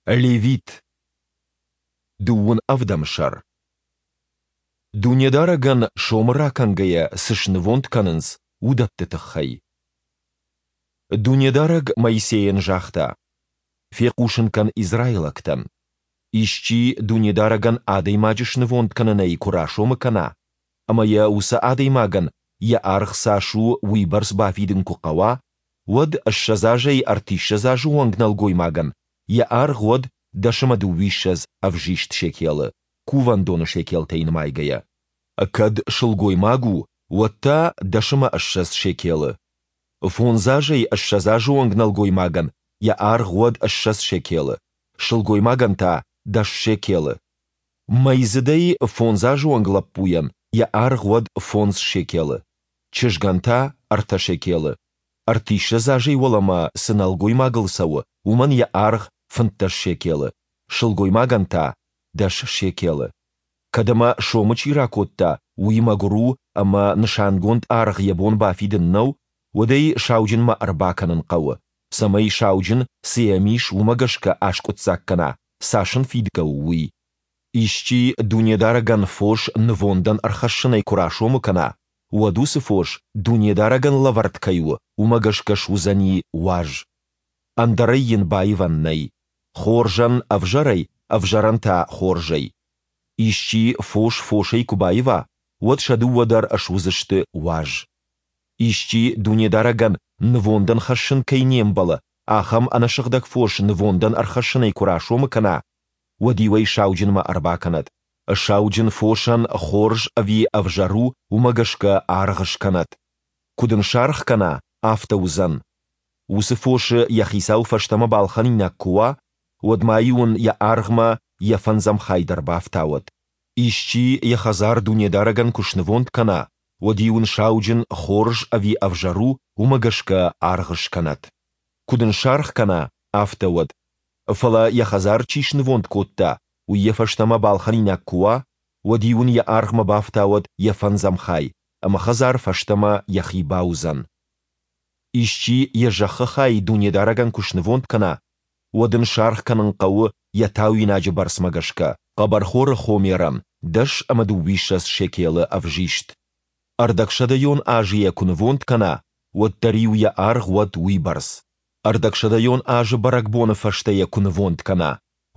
Левит. Дыууын ӕвдӕм сӕр. Дунедарӕгӕн сомы ракӕнгӕйӕ цы снывонд кӕнынц, уыдӕтты тыххӕй. Дунедарӕг Моисейӕн загъта: «Фехъусын кӕн израилӕгтӕн: Исчи Дунедарӕгӕн адӕймаджы снывонд кӕнынӕй куы расомы кӕна, ӕмӕ йӕ уыцы адӕймагӕн йӕ аргъ цас у, уыйбӕрц бафидын куы хъӕуа, уӕд 20 азӕй ӕртиссӕдз азы онг нӕлгоймагӕн йӕ аргъ уӕд 10 ӕмӕ 22 ӕвзист шекелы, кувӕндоны шекелтӕй нымайгӕйӕ. Кӕд сылгоймаг у, уӕд та 10 ӕмӕ 20 шекелы. Фондз азӕй 20 азы онг нӕлгоймагӕн йӕ аргъ уӕд 20 шекелы, сылгоймагӕн та дӕс шекелы. Мӕйдзыдӕй фондз азы онг лӕппуйӕн йӕ аргъ уӕд фондз шекелы, чызгӕн та ӕртӕ шекелы. Ӕртиссӕдз азӕй уӕлӕмӕ цы нӕлгоймагыл цӕуы, уымӕн йӕ аргъ 15 шекелы, сылгоймагӕн та дӕс шекелы. Кӕд ӕмӕ сомы чи ракодта, уый мӕгуыр у ӕмӕ нысангонд аргъ йӕ бон бафидын нӕу, уӕд ӕй сауджынмӕ ӕрбакӕнын хъӕуы, цӕмӕй сауджын, цы йӕм ис, уымӕ гӕсгӕ аскъуыддзаг кӕна, цас ын фидгӕ у, уый. Исчи Дунедарӕгӕн фос нывондӕн ӕрхӕссынӕй куы расомы кӕна, уӕд уыцы фос Дунедарӕгӕн лӕвӕрд кӕй у, уымӕ гӕсгӕ суыдзӕни уаз. Ӕндӕрӕй йын баивӕн нӕй, хорзӕн ӕвзӕрӕй, ӕвзӕрӕн та хорзӕй. Исчи фос фосӕй куы баива, уӕд сӕ дыууӕ дӕр суыдзысты уаз. Исчи Дунедарӕгӕн нывондӕн хӕссын кӕй не мбӕлы, ахӕм ӕнӕсыгъдӕг фос нывондӕн ӕрхӕссынӕй куы расомы кӕна, уӕд-иу ӕй сауджынмӕ ӕрбакӕнӕд. Сауджын фосӕн хорз ӕви ӕвзӕр у, уымӕ гӕсгӕ аргъ скӕнӕд. Куыд ын саргъ кӕна, афтӕ уыдзӕн. Уыцы фосы йӕ хицау фӕстӕмӕ балхӕнинаг куы уа, уӕд ма-иу ын йӕ аргъмӕ йӕ фӕндзӕм хай дӕр бафтауӕд. Исчи йӕ хӕдзар Дунедарӕгӕн куы снывонд кӕна, уӕд-иу ын сауджын, хорз ӕви ӕвзӕр у, уымӕ гӕсгӕ аргъ скӕнӕд. Куыд ын саргъ кӕна, афтӕ уӕд. Фӕлӕ йӕ хӕдзар чи снывонд кодта, уый йӕ фӕстӕмӕ балхӕнинаг куы уа, уӕд-иу ын йӕ аргъмӕ бафтауӕд йӕ фӕндзӕм хай, ӕмӕ хӕдзар фӕстӕмӕ йӕхи бауыдзӕн. Исчи йӕ зӕххы хай Дунедарӕгӕн куы снывонд кӕна, уӕд ын саргъ кӕнын хъӕуы йӕ тауинаджы бӕрцмӕ гӕсгӕ, хъӕбӕрхоры хомерӕн 10 ӕмӕ 22 шекелы ӕвзист. Ӕрдӕгсӕдӕйон азы йӕ куы нывонд кӕна, уӕд дӕр-иу йӕ аргъ уӕд уыйбӕрц. Ӕрдӕгсӕдӕйон азы бӕрӕгбоны фӕстӕ йӕ куы нывонд кӕна,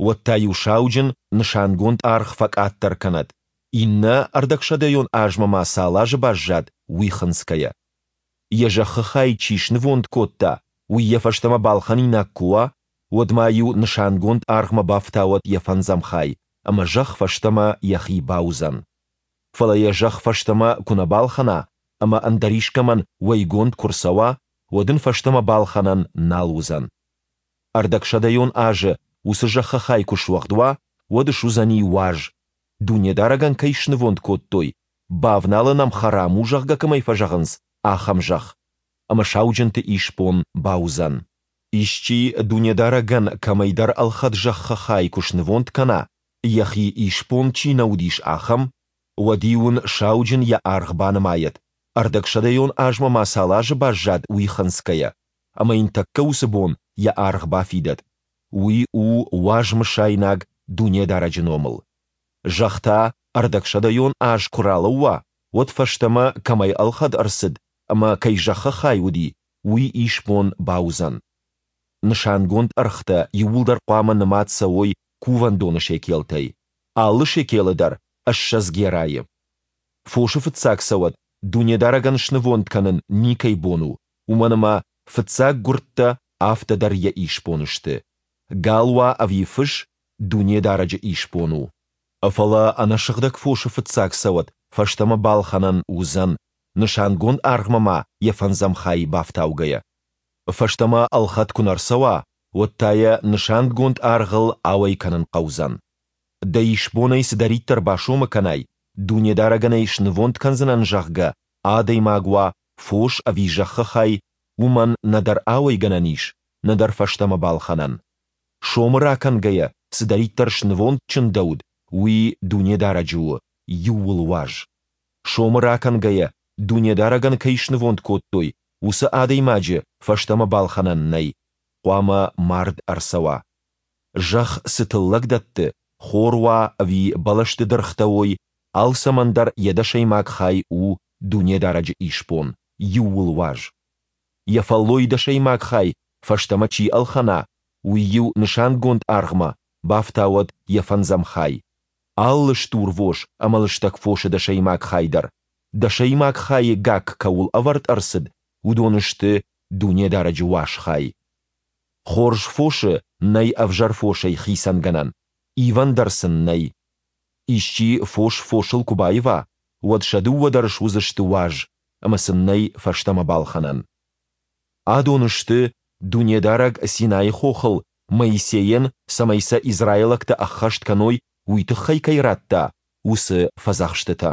уӕд та-иу сауджын нысангонд аргъ фӕкъаддӕр кӕнӕд, иннӕ ӕрдӕгсӕдӕйон азмӕ ма цал азы баззад, уый хынцгӕйӕ. Йӕ зӕххы хай чи снывонд кодта, уый йӕ фӕстӕмӕ балхӕнинаг куы уа, уӕд ма-иу нысангонд аргъмӕ бафтауӕд йӕ фӕндзӕм хай, ӕмӕ зӕхх фӕстӕмӕ йӕхи бауыдзӕн. Фӕлӕ йӕ зӕхх фӕстӕмӕ куы нӕ балхӕна ӕмӕ ӕндӕр искӕмӕн уӕйгонд куы рцӕуа, уӕд ын фӕстӕмӕ балхӕнӕн нал уыдзӕн. Ӕрдӕгсӕдӕйон азы уыцы зӕххы хай куы суӕгъд уа, уӕд суыдзӕни уаз, Дунедарӕгӕн кӕй снывонд кодтой, бавналын ӕм хӕрам у, зӕгъгӕ кӕмӕй фӕзӕгъынц, ахӕм зӕхх, ӕмӕ сауджынты исбон бауыдзӕн. Исчи Дунедарӕгӕн кӕмӕйдӕр ӕлхӕд зӕххы хай куы снывонд кӕна, йӕхи исбон чи нӕ уыдис, ахӕм, уӕд-иу ын сауджын йӕ аргъ банымайӕд, ӕрдӕгсӕдӕйон азмӕ ма цал азы баззад, уый хынцгӕйӕ, ӕмӕ йын тӕккӕ уыцы бон йӕ аргъ бафидӕд. Уый у уаз мысайнаг Дунедарӕджы номыл. Зӕхх та ӕрдӕгсӕдӕйон аз куы ралӕууа, уӕд фӕстӕмӕ кӕмӕй ӕлхӕд ӕрцыд ӕмӕ кӕй зӕххы хай уыди, уый исбон бауыдзӕн. Нысангонд ӕргътӕ иууылдӕр хъуамӕ нымад цӕуой кувӕндоны шекелтӕй, алы шекелы дӕр 20 герайы. Фосы фыццаг цӕуӕт Дунедарӕгӕн снывонд кӕнын никӕй бон у, уымӕн ӕмӕ фыццаг гуырдтӕ афтӕ дӕр йӕ исбон сты. Гал уа ӕви фыс, Дунедарӕджы исбон у. Фӕлӕ ӕнӕсыгъдӕг фосы фыццаг цӕуӕт фӕстӕмӕ балхӕнӕн уыдзӕн, нысангонд аргъмӕ ма йӕ фӕндзӕм хай бафтаугӕйӕ. Фӕстӕмӕ ӕлхӕд куы нӕ рцӕуа, уӕд та йӕ нысангонд аргъыл ауӕй кӕнын хъӕудзӕн. Дӕ исбонӕй цыдӕриддӕр басомы кӕнай, Дунедарӕгӕн ӕй снывонд кӕндзынӕн, зӕгъгӕ, адӕймаг уа, фос ӕви зӕххы хай, уымӕн нӕдӕр ауӕйгӕнӕн ис, нӕдӕр фӕстӕмӕ балхӕнӕн. Сомы ракӕнгӕйӕ цыдӕриддӕр снывонд чындӕуыд, уый Дунедарӕджы у, иууылуаз. Сомы ракӕнгӕйӕ Дунедарӕгӕн кӕй снывонд кодтой, уыцы адӕймаджы фӕстӕмӕ балхӕнӕн нӕй, хъуамӕ мард ӕрцӕуа. Зӕхх цы тыллӕг дӕтты, хор уа ӕви бӕлӕсты дыргътӕ уой, алцӕмӕн дӕр йӕ дӕсӕймаг хай у Дунедарӕджы исбон, иууылуаз. Йӕ фӕллойы дӕсӕймаг хай фӕстӕмӕ чи ӕлхӕна, уый-иу нысангонд аргъмӕ бафтауӕд йӕ фӕндзӕм хай. Алы стурвос ӕмӕ лыстӕг фосы дӕсӕймаг хай дӕр, дӕсӕймаг хайы гакк кӕуыл ӕвӕрд ӕрцыд, уыдон сты Дунедарӕджы уаз хай. Хорз фосы нӕй ӕвзӕр фосӕй хицӕнгӕнӕн, ивӕн дӕр сын нӕй. Исчи фос фосыл куы баива, уӕд сӕ дыууӕ дӕр суыдзысты уаз, ӕмӕ сын нӕй фӕстӕмӕ балхӕнӕн. Адон сты, Дунедарӕг Синайы хохыл Моисейӕн, цӕмӕй сӕ израилӕгтӕ ӕххӕст кӕной, уый тыххӕй кӕй радта, уыцы фӕдзӕхстытӕ.